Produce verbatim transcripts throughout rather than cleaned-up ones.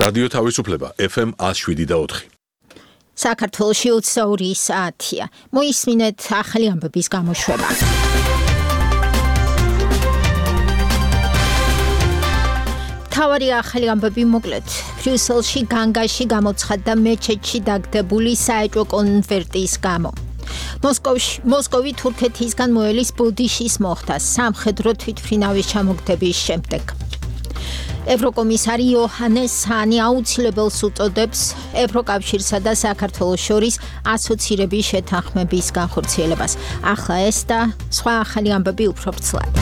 რადიო თავისუფლება ეფ ემ one oh seven და four. საქართველოში ოცდაორი საათია. მოისმინეთ ახალი ამბების გამოშვება. თავარი ახალი ამბები მოკლედ. ბრიუსელში განგაში გამოცხადდა მეჩეთში დაგდებული საეჭვო კონვერტის გამო. მოსკოვში მოსკოვი თურქეთისგან მოელის ბოდიშის მოხდა სამხედრო თვითმფრინავის ჩამოგდების შემდეგ. ევროკომისარი იოჰანეს ჰანი აუცილებელს უწოდებს ევროკავშირსა და საქართველოს შორის ასოცირების შეთანხმების განხორციელებას. ახლა ეს და სხვა ახალი ამბები უფრო ვრცლად.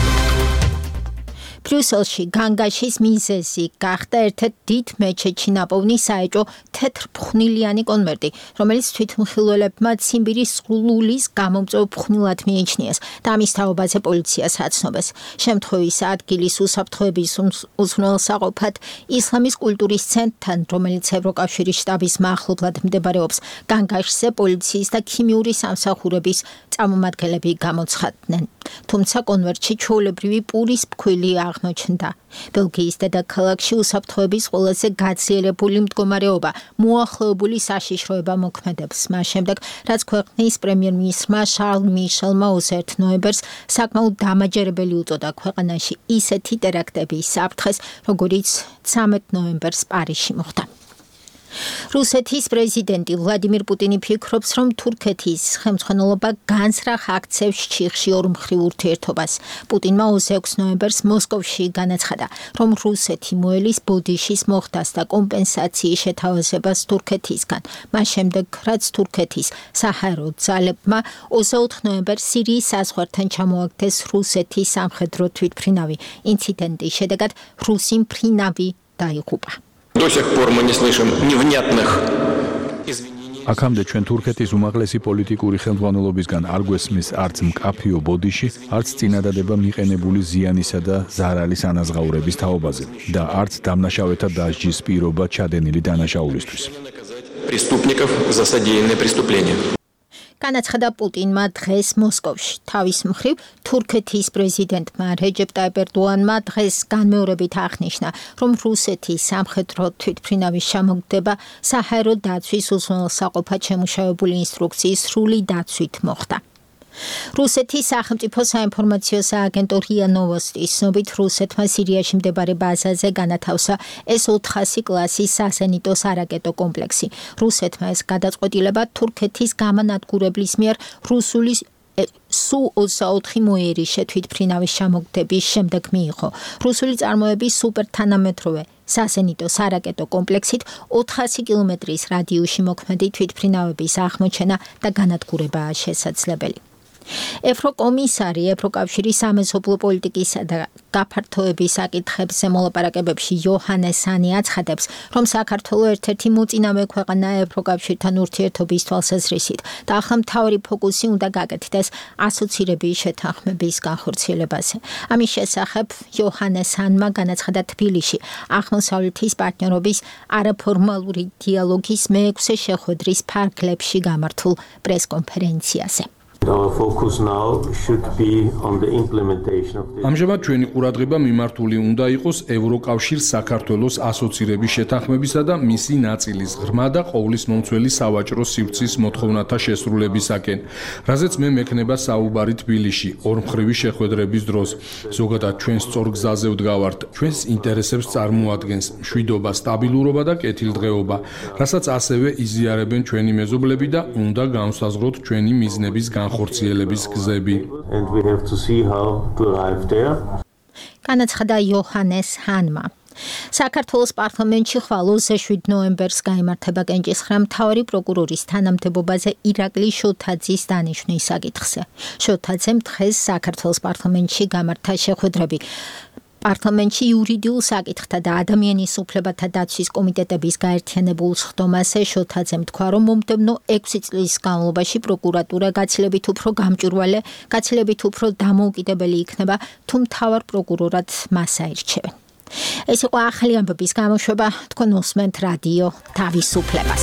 ბრიუსელში განგაშის მიზეზი გახდა ერთ-ერთ დიდ მეჩეთში ნაპოვნი საეჭვო თეთრფხვნილიანი კონვერტი, რომელიც თვითმხილველებმა ციმბირის სრულის გამომწვევ ფხვნილად მიიჩნიეს და ამის თაობაზე პოლიციას აცნობეს. შემთხვევის ადგილის უსაფრთხოების უზრუნველსაყოფად ისლამის კულტურის ცენტრთან, რომელიც ევროკავშირის შტაბის მახლობლად მდებარეობს, განგაშზე პოლიციის და ქიმიური სამსახურების წარმომადგენლები გამოცხადდნენ. თუმცა კონვერტში ჩვეულებრივი პურის ფქვილი აღმოჩნდა. ბელგიის დედაქალაქში უსაფრთხოების ყველაზე გაძლიერებული მდგომარეობა მოახლოებული საშიშროება მოქმედებს. მას შემდეგ, რაც ქვეყნის პრემიერ-მინისტრმა შარლ მიშელმა ოცდაერთი ნოემბერს საკმაოდ დამაჯერებელი უწოდა ქვეყანაში ისეთი ტერაქტების საფრთხეს, როგორიც ცამეტ ნოემბერს პარიზში მოხდა. რუსეთის პრეზიდენტი ვლადიმირ პუტინი ფიქრობს, რომ თურქეთის ხელმძღვანელობა განცრახ აქცევს ჩიხში ორმხრივ ურთიერთობას. პუტინმა ოცდაექვსი ნოემბერს მოსკოვში განაცხადა, რომ რუსეთი მოელის ბოდიშის მოხდას და კომპენსაციის შეთავაზებას თურქეთისგან. მას შემდეგ, რაც თურქეთის საჰაერო ძალებმა ოცდაოთხი ნოემბერს სირიის საზღვართან ჩამოაგდეს რუსეთის სამხედრო თვითმფრინავი. ინციდენტის შედეგად რუსი მფრინავი დაიღუპა. До сих пор мы не слышим невнятных извинений. აქამდე ჩვენ თურქეთის უმაღლესი პოლიტიკური ხელმძღვანელობისგან არ გვესმის არც მკაფიო ბოდიში, არც წინადადება მიყენებული ზიანისა და ზარალის ანაზღაურების თაობაზე და არც დამნაშავეთა დასჯის პირობა ჩადენილი დანაშაულისთვის. Преступников за содеянные преступления. განაცხადა პუტინმა დღეს მოსკოვში. თავის მხრივ, თურქეთის პრეზიდენტმა რეჯეპ ტაიპ ერდოანმა დღეს განმეორებით აღნიშნა, რომ რუსეთის სამხედრო თვითმფრინავის ჩამოგდება საჰაერო დაცვის უზრუნველსაყოფად შემუშავებული ინსტრუქციის სრული დაცვით მოხდა. რუსეთის სახელმწიფო საინფორმაციო სააგენტო რია ნოვოსტის ცნობით, რუსეთმა სირიაში მდებარე ბაზაზე განათავსა ეს ოთხასი კლასის საზენიტო სარაკეტო კომპლექსი. რუსეთმა ეს გადაწყვეტილება თურქეთის გამანადგურებლის მიერ რუსული სუ ოცდაოთხი მოერიშე თვითმფრინავის ჩამოგდების შემდეგ მიიღო. რუსული წარმოების სუპერთანამედროვე საზენიტო სარაკეტო კომპლექსით ოთხასი კილომეტრის რადიუსში მოქმედი თვითმფრინავების აღმოჩენა და განადგურებაა შესაძლებელი. ევროკომისარი ევროკავშირის სამეზობლო პოლიტიკისა და გაფართოების საკითხებზე მოლაპარაკებებში იოჰანეს ჰანი აცხადებს, რომ საქართველო ერთ-ერთი მოწინავე ქვეყანაა ევროკავშირთან ურთიერთობის თვალსაზრისით და ახლა მთავარი ფოკუსი უნდა გაკეთდეს ასოცირების შეთანხმების განხორციელებაზე. ამის შესახებ იოჰანეს ჰანმა განაცხადა თბილისში აღმოსავლეთის პარტნიორობის არაფორმალური დიალოგის მეექვსე შეხვედრის ფარგლებში გამართულ პრესკონფერენციაზე. Our focus now should be on the implementation of the ამჟამად ჩვენი ყურადღება მიმართული უნდა იყოს ევროკავშირს საქართველოს ასოცირების შეთანხმებისა და მისი ნაწილის ღრმა და ყოვლის მომცველი სავაჭრო სივრცის მოთხოვნათა შესრულებისაკენ, რაზეც მე მექნება საუბარი თბილისში ორმხრივი შეხვედრების დროს. ზოგადად ჩვენ სწორ გზაზე ვდგავართ, ჩვენს ინტერესებს წარმოადგენს მშვიდობა, სტაბილურობა და კეთილდღეობა, რასაც ასევე იზიარებენ ჩვენი მეზობლები და უნდა განვსაზღვროთ ჩვენი მიზნების განხორციელების გზები. and we have to see how to arrive there. განაცხადა იოჰანეს ჰანმა. საქართველოს პარლამენტში ხვალ ოცდაშვიდი ნოემბერს გაიმართება კენჭისხრა მთავარი პროკურორის თანამდებობაზე ირაკლი შოთაძის დანიშვნის საკითხზე. შოთაძემ დღეს საქართველოს პარლამენტში გამართა შეხვედრები პარლამენტში იურიდიულ საკითხთა და ადამიანის უფლებათა დაცვის კომიტეტების გაერთიანებულ სხდომაზე შოთაძემ თქვა, რომ მომდევნო ექვსი წლის განმავლობაში პროკურატურა გაცილებით უფრო გამჭვირვალე, გაცილებით უფრო დამოუკიდებელი იქნება, თუ მთავარ პროკურორად მას აირჩევენ. ეს იყო ახალი ამბების გამოშვება, თქვენ უსმენთ რადიო თავისუფლებას.